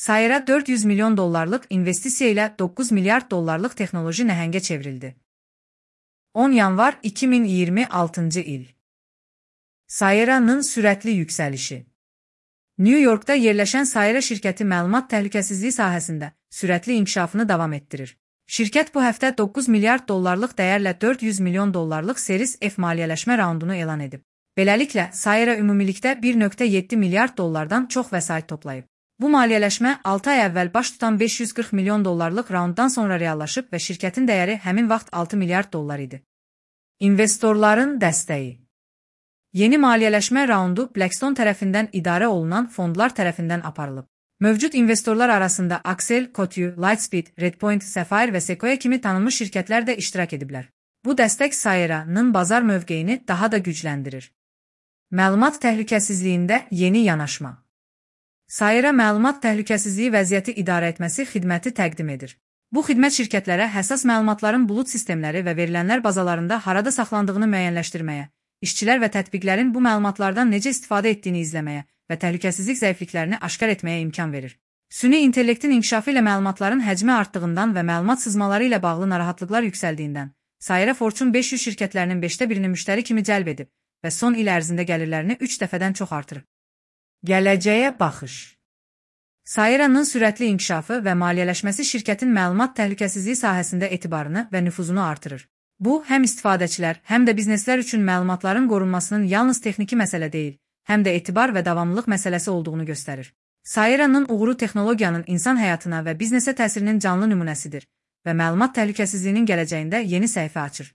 Sayera $400 milyon investisiya ilə $9 milyard texnoloji nəhəngə çevrildi. 10 yanvar 2026 il. Sayera'nın sürətli yüksəlişi. New Yorkda yerləşən Sayera şirkəti məlumat təhlükəsizliyi sahəsində sürətli inkişafını davam etdirir. Şirkət bu həftə $9 milyard dəyərlə $400 milyon Series F maliyyələşmə raundunu elan edib. Beləliklə, Sayera ümumilikdə $1.7 milyard çox vəsait toplayıb. Bu maliyyələşmə 6 ay əvvəl baş tutan $540 milyon raunddan sonra reallaşıb və şirkətin dəyəri həmin vaxt $6 milyard idi. İnvestorların dəstəyi. Yeni maliyyələşmə raundu Blackstone tərəfindən idarə olunan fondlar tərəfindən aparılıb. Mövcud investorlar arasında Accel, Coatue, Lightspeed, Redpoint, Sapphire və Sequoia kimi tanınmış şirkətlər də iştirak ediblər. Bu dəstək Sayera'nın bazar mövqeyini daha da gücləndirir. Məlumat təhlükəsizliyində yeni yanaşma. Sayera məlumat təhlükəsizliyi vəziyyəti idarə etməsi xidməti təqdim edir. Bu xidmət şirkətlərə həssas məlumatların bulut sistemləri və verilənlər bazalarında harada saxlandığını müəyyənləşdirməyə, işçilər və tətbiqlərin bu məlumatlardan necə istifadə etdiyini izləməyə və təhlükəsizlik zəifliklərini aşkar etməyə imkan verir. Süni intellektin inkişafı ilə məlumatların həcmi artdığından və məlumat sızmaları ilə bağlı narahatlıqlar yüksəldiyindən, Sayera Fortune 500 şirkətlərinin 5də birini müştəri kimi cəlb edib və son il ərzində gəlirlərini 3 dəfədən çox artırıb. Gələcəyə baxış. Sayera'nın sürətli inkişafı və maliyyələşməsi şirkətin məlumat təhlükəsizliyi sahəsində etibarını və nüfuzunu artırır. Bu, həm istifadəçilər, həm də bizneslər üçün məlumatların qorunmasının yalnız texniki məsələ deyil, həm də etibar və davamlılıq məsələsi olduğunu göstərir. Sayera'nın uğuru texnologiyanın insan həyatına və biznesə təsirinin canlı nümunəsidir və məlumat təhlükəsizliyinin gələcəyində yeni səhifə açır.